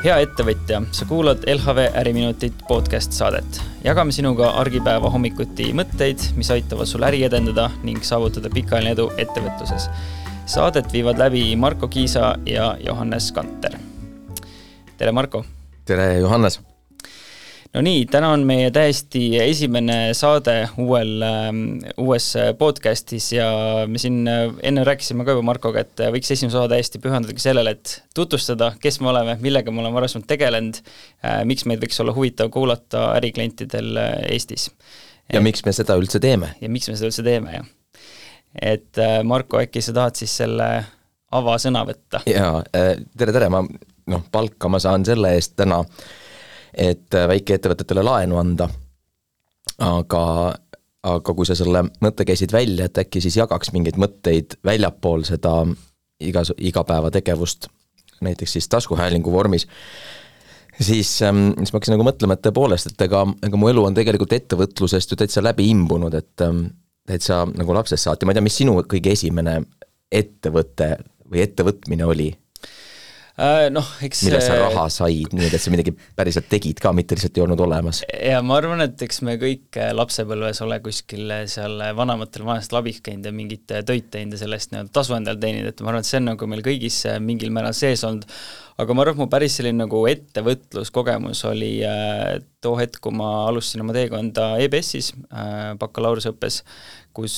Hea ettevõtja, sa kuulad LHV Äriminutit podcast saadet. Jagame sinuga argipäeva hommikuti mõtteid, mis aitavad sul äri edendada ning saavutada pikaajaline edu ettevõtluses. Saadet viivad läbi Marko Kiisa ja Johannes Kanter. Tere Marko! Tere Johannes! No nii, täna on meie täiesti esimene saade uues podcastis ja me siin enne rääkisime ka juba Markoga, et võiks esimene saade täiesti pühendadagi sellele, et tutvustada, kes me oleme, millega me oleme varasemalt tegelenud, miks meid võiks olla huvitav kuulata äriklientidel Eestis. Ja miks me seda üldse teeme. Ja miks me seda üldse teeme, jah. Et Marko, äkki sa tahad siis selle avasõna võtta? Jaa, tere, palka ma saan selle eest täna, et väikeettevõtetele laenu anda, aga kui sa selle mõtte käisid välja, et äkki siis jagaks mingeid mõtteid väljapool seda igapäeva tegevust, näiteks siis taskuhäälingu vormis, siis ma hakkasin nagu mõtlema, et tõepoolest, et ega mu elu on tegelikult ettevõtlusest ju täitsa läbi imbunud, et täitsa nagu lapsest saati. Ma ei tea, mis sinu kõige esimene ettevõte või ettevõtmine oli? Millest sa raha said, nii et sa midagi päriselt tegid ka, mitte lihtsalt ei olnud olemas. Ja ma arvan, et eks me kõik lapsepõlves ole kuskil seal vanematel vanast labis käinud ja mingit töid teinud ja sellest tasu endal teeninud, et ma arvan, et see on nagu meil kõigis mingil määral sees olnud, aga ma arvan, et mu päris selline nagu ettevõtluskogemus oli too hetk, kui ma alustasin oma teekonda EBS-is bakalaureusõppes, kus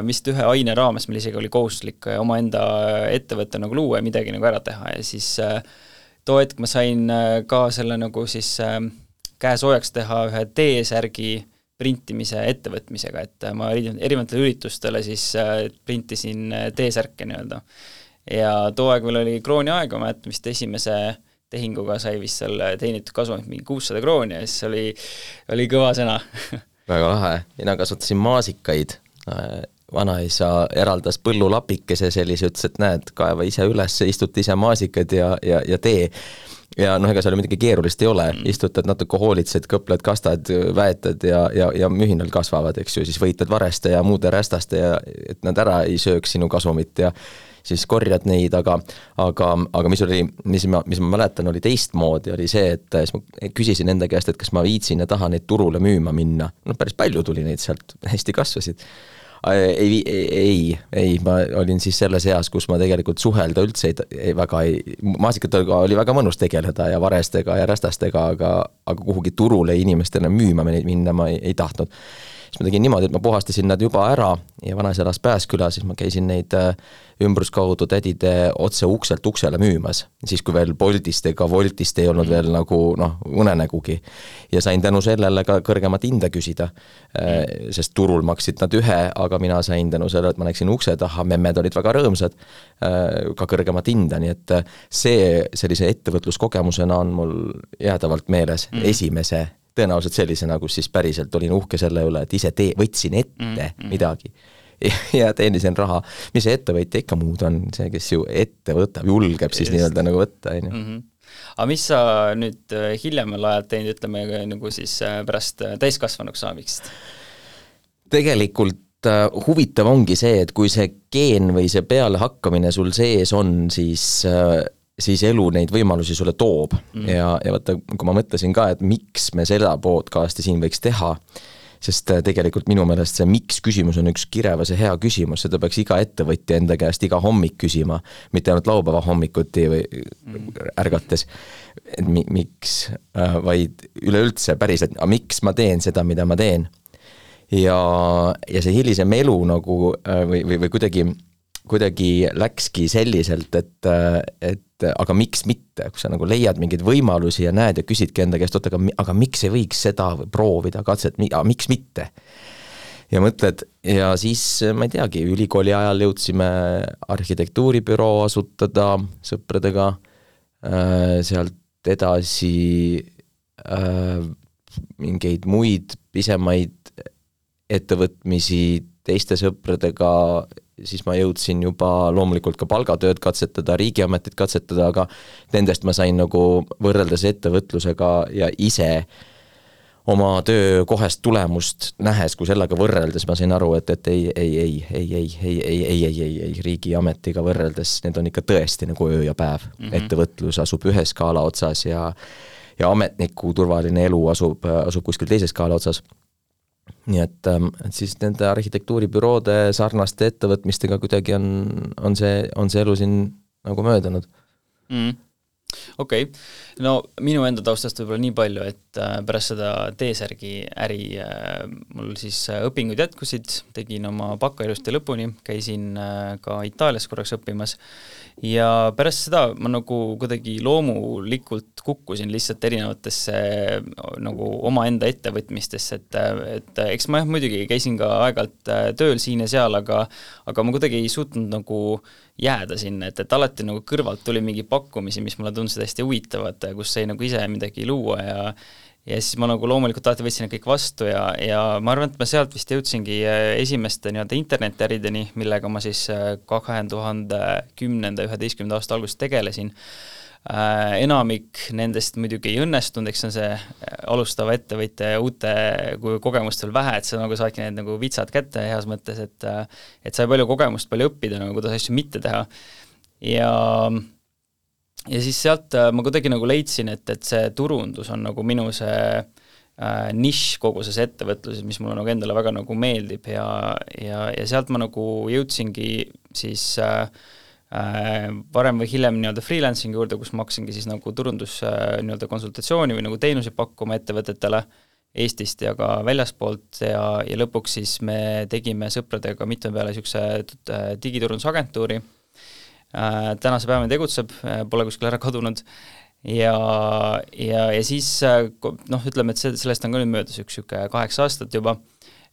vist ühe aine raames meil isegi oli kohustuslik omaenda ettevõtte nagu luua ja midagi nagu ära teha ja siis too hetk ma sain ka selle nagu siis käe soojaks teha ühe T-särgi printimise ettevõtmisega, et ma erinevatele üritustele siis printisin T-särke nii-öelda. Ja too aeg meil oli krooni aega, ma jätan vist esimese tehinguga sai vist seal teenitud kasvamist mingi 600 krooni ja siis oli kõva sõna. Väga lahe, mina kasvatasin maasikaid. Vanaisa eraldas põllulapikese sellise, ütles, et näed, kaeva ise üles, istut ise maasikad ja tee. Ja ega seal midagi keerulist ei ole, istutad natuke hoolitsed, kõpled, kastad, väetad ja mühinal kasvavad, eks ju, siis võitad vareste ja muude rästaste ja et nad ära ei sööks sinu kasumit ja siis korjad neid, aga mis ma mäletan, oli teistmoodi, oli see, et ma küsisin enda käest, et kas ma viitsin ja tahan neid turule müüma minna. Päris palju tuli neid sealt, hästi kasvasid. Ei, ma olin siis selles eas, kus ma tegelikult suhelda üldse maasikatega oli väga mõnus tegeleda ja varestega ja rästastega, aga kuhugi turule inimestele müüma minna ma ei tahtnud. Siis ma tegin niimoodi, et ma puhastasin nad juba ära ja vanaisa elas Pääsküla, siis ma käisin neid ümbruskaudu tädide otse ukselt uksele müümas. Siis kui veel Boltist ega Voltist ei olnud veel nagu unenägugi. Ja sain tänu sellele ka kõrgemat hinda küsida, sest turul maksid nad ühe, aga mina sain tänu sellele, et ma läksin ukse taha, memmed olid väga rõõmsad, ka kõrgemat hinda, nii et see sellise ettevõtluskogemusena on mul jäädavalt meeles esimese tõenäoliselt sellisena, kus siis päriselt olin uhke selle üle, et ise võtsin ette midagi ja teenisin raha. Mis see ettevõtja ikka muud on, see, kes ju ette võtab, julgeb siis nii-öelda nagu võtta. Aga mis sa nüüd hiljemal ajal teinud, ütleme nagu siis pärast täiskasvanuks saamist? Tegelikult huvitav ongi see, et kui see geen või see peale hakkamine sul sees on, siis elu neid võimalusi sulle toob. Ja vaata, kui ma mõtlesin ka, et miks me seda podcasti siin võiks teha, sest tegelikult minu meelest see miks küsimus on üks kirevas ja hea küsimus, seda peaks iga ettevõtja enda käest iga hommik küsima, mitte ainult laupäeva hommikuti või ärgates, et miks, vaid üleüldse päriselt, miks ma teen seda, mida ma teen. Ja see hilisem elu nagu, või kuidagi läkski selliselt, et aga miks mitte, kui sa nagu leiad mingeid võimalusi ja näed ja küsidki enda käest, aga miks ei võiks seda proovida, katset, miks mitte? Ja mõtled, ja siis ma ei teagi, ülikooli ajal jõudsime arhitektuuribüroo asutada sõpradega, sealt edasi mingeid muid pisemaid ettevõtmisi teiste sõpradega, siis ma jõudsin juba loomulikult ka palgatööd katsetada, riigiametit katsetada, aga nendest ma sain nagu võrreldes ettevõtlusega ja ise oma töö kohest tulemust nähes, kui sellega võrreldes ma sain aru, et ei, riigiametiga võrreldes need on ikka tõesti nagu öö ja päev. Ettevõtlus asub ühe skaala otsas ja ametniku turvaline elu asub kuskil teise skaala otsas. Nii et siis nende arhitektuuribüroode sarnaste ettevõtmistega kuidagi on see elu siin nagu möödanud. Okei. No minu enda taustast võib-olla nii palju, et pärast seda T-särgi äri mul siis õpingud jätkusid, tegin oma baka ilusti lõpuni, käisin ka Itaalias korraks õppimas ja pärast seda ma nagu kuidagi loomulikult kukkusin lihtsalt erinevatesse nagu oma enda ettevõtmistesse, et eks ma muidugi käisin ka aegalt tööl siin ja seal, aga ma kuidagi ei suutnud nagu jääda sinna, et alati nagu kõrvalt tuli mingi pakkumisi, mis mulle tundsid hästi huvitavad, kus sai nagu ise midagi luua ja siis ma nagu loomulikult alati võtsin kõik vastu ja ma arvan, et ma sealt vist jõudsingi esimeste nii-öelda internetiärideni, millega ma siis 2010-11 aasta alguses tegelesin. Enamik nendest muidugi ei õnnestunud, eks on see alustava ettevõtja ja uute kogemust veel vähe, et sa nagu saadki need nagu vitsad kätte heas mõttes, et sai palju kogemust, palju õppida, nagu kuidas asju mitte teha. Ja siis sealt ma kuidagi nagu leidsin, et see turundus on nagu minu see nišš kogu selles ettevõtluses, mis mulle nagu endale väga nagu meeldib ja sealt ma nagu jõudsingi siis varem või hiljem nii-öelda freelancing juurde, kus ma hakkasingi siis nagu turundus nii-öelda konsultatsiooni või nagu teenusi pakkuma ettevõtetele Eestist ja ka väljaspoolt ja lõpuks siis me tegime sõpradega mitme peale niisuguse digiturundusagentuuri. Tänase päevani tegutseb, pole kuskil ära kadunud ja siis ütleme, et sellest on ka nüüd möödas üks 8 aastat juba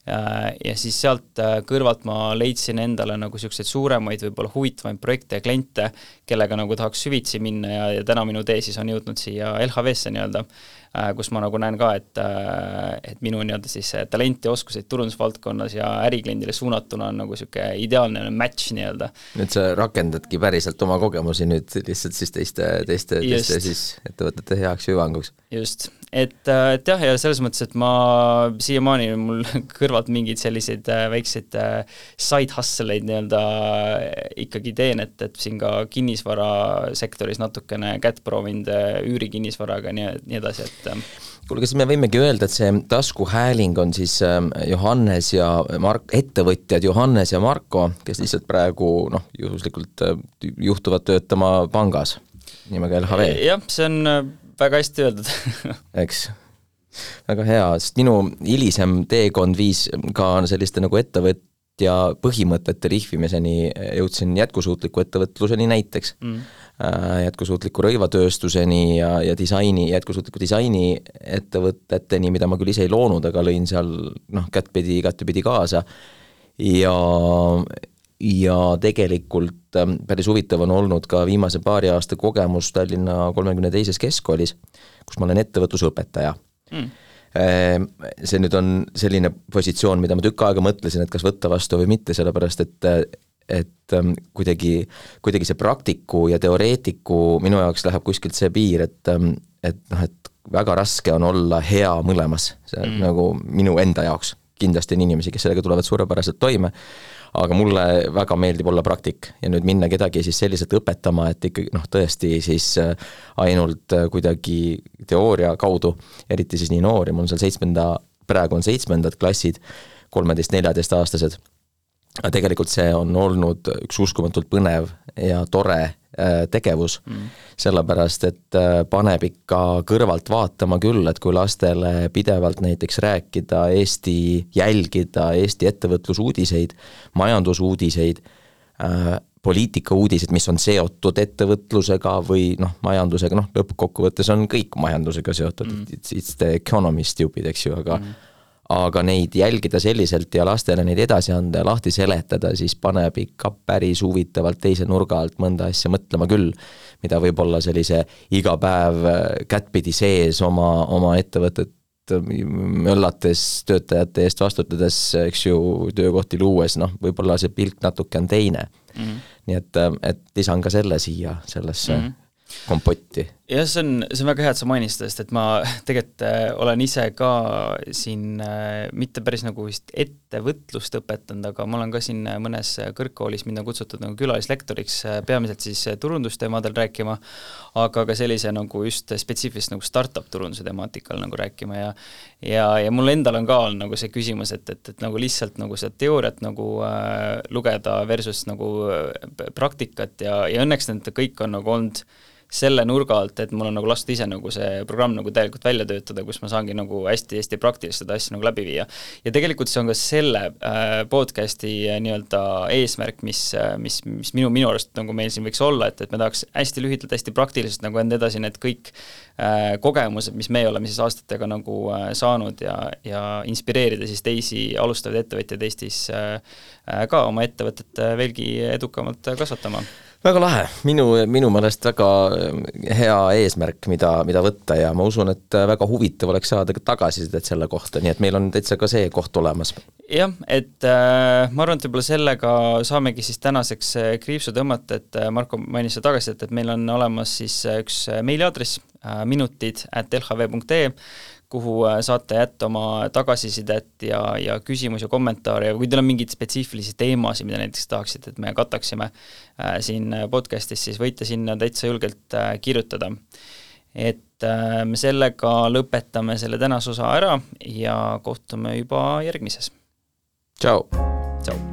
ja siis sealt kõrvalt ma leidsin endale nagu niisuguseid suuremaid, võib-olla huvitavaid projekte ja kliente, kellega nagu tahaks süvitsi minna ja täna minu tee siis on jõudnud siia LHV-sse nii-öelda, kus ma nagu näen ka, et minu nii-öelda siis talenti ja oskuseid turundusvaldkonnas ja ärikliendile suunatuna on nagu niisugune ideaalne match nii-öelda. Nüüd sa rakendadki päriselt oma kogemusi nüüd lihtsalt siis teiste siis ettevõtete heaks ja hüvanguks. Just, et jah, ja selles mõttes, et ma siiamaani mul kõrvalt mingeid selliseid väikseid side hustle'eid nii-öelda ikkagi teen, et siin ka kinnisvarasektoris natukene kätt proovinud üürikinnisvaraga nii edasi, et kuule, kas me võimegi öelda, et see taskuhääling on siis Johannes ja ettevõtjad Johannes ja Marko, kes lihtsalt praegu juhuslikult juhtuvad töötama pangas nimega LHV? Jah, see on väga hästi öeldud. Eks, väga hea, sest minu hilisem teekond viis ka selliste nagu ettevõtja põhimõtete rihvimiseni, jõudsin jätkusuutliku ettevõtluseni näiteks. Jätkusuutliku rõivatööstuseni ja jätkusuutliku disaini ettevõteteni, mida ma küll ise ei loonud, aga lõin seal kättpidi kaasa ja tegelikult päris huvitav on olnud ka viimase paari aasta kogemus Tallinna 32. keskkoolis, kus ma olen ettevõtlusõpetaja. See nüüd on selline positsioon, mida ma tükk aega mõtlesin, et kas võtta vastu või mitte, sellepärast et kuidagi see praktiku ja teoreetiku minu jaoks läheb kuskilt see piir, et väga raske on olla hea mõlemas, see nagu minu enda jaoks. Kindlasti on inimesi, kes sellega tulevad suurepäraselt toime, aga mulle väga meeldib olla praktik ja nüüd minna kedagi siis selliselt õpetama, et ikkagi tõesti siis ainult kuidagi teooria kaudu, eriti siis nii noori, mul on seal praegu on 7. klassid, 13-14 aastased. Tegelikult see on olnud üks uskumatult põnev ja tore tegevus, sellepärast, et paneb ikka kõrvalt vaatama küll, et kui lastele pidevalt näiteks rääkida jälgida Eesti ettevõtlusuudiseid, majandusuudiseid, poliitikauudised, mis on seotud ettevõtlusega või majandusega, lõppkokkuvõttes on kõik majandusega seotud, it's the economist stupid, eks ju, aga neid jälgida selliselt ja lastele neid edasi anda ja lahti seletada, siis paneb ikka päris huvitavalt teise nurga alt mõnda asja mõtlema küll, mida võib-olla sellise iga päev kättpidi sees oma ettevõtet möllates töötajate eest vastutades, eks ju, töökohti luues, võib-olla see pilk natuke on teine. Nii et lisan ka selle siia sellesse kompotti? Jah, see on väga hea, et sa mainisid, sest et ma tegelikult olen ise ka siin mitte päris nagu vist ettevõtlust õpetanud, aga ma olen ka siin mõnes kõrgkoolis mind on kutsutud nagu külalislektoriks peamiselt siis turundusteemadel rääkima, aga ka sellise nagu just spetsiifilist nagu startup turunduse temaatikal nagu rääkima ja mul endal on ka olnud nagu see küsimus, et nagu lihtsalt nagu seda teooriat nagu lugeda versus nagu praktikat ja õnneks need kõik on nagu olnud selle nurga alt, et mul on nagu lastud ise nagu see programm nagu täielikult välja töötada, kus ma saangi nagu hästi-hästi praktiliselt seda asja nagu läbi viia. Ja tegelikult see on ka selle podcasti nii-öelda eesmärk, mis minu arust nagu meil siin võiks olla, et me tahaks hästi lühidalt, hästi praktiliselt nagu enda edasi need kõik kogemused, mis me oleme siis aastatega nagu saanud ja inspireerida siis teisi alustavaid ettevõtjaid Eestis ka oma ettevõtet veelgi edukamalt kasvatama. Väga lahe, minu meelest väga hea eesmärk, mida võtta ja ma usun, et väga huvitav oleks saada tagasisidet selle kohta, nii et meil on täitsa ka see koht olemas. Jah, et ma arvan, et võib-olla sellega saamegi siis tänaseks kriipsu tõmmata, et Marko mainis seda tagasisidet, et meil on olemas siis üks meiliaadress minutid@lhv.ee, kuhu saate jätta oma tagasisidet ja küsimusi ja kommentaare ja kui teil on mingeid spetsiifilisi teemasid, mida näiteks tahaksite, et me kataksime siin podcastis, siis võite sinna täitsa julgelt kirjutada. Et me sellega lõpetame selle tänase osa ära ja kohtume juba järgmises. Tšau! Tšau!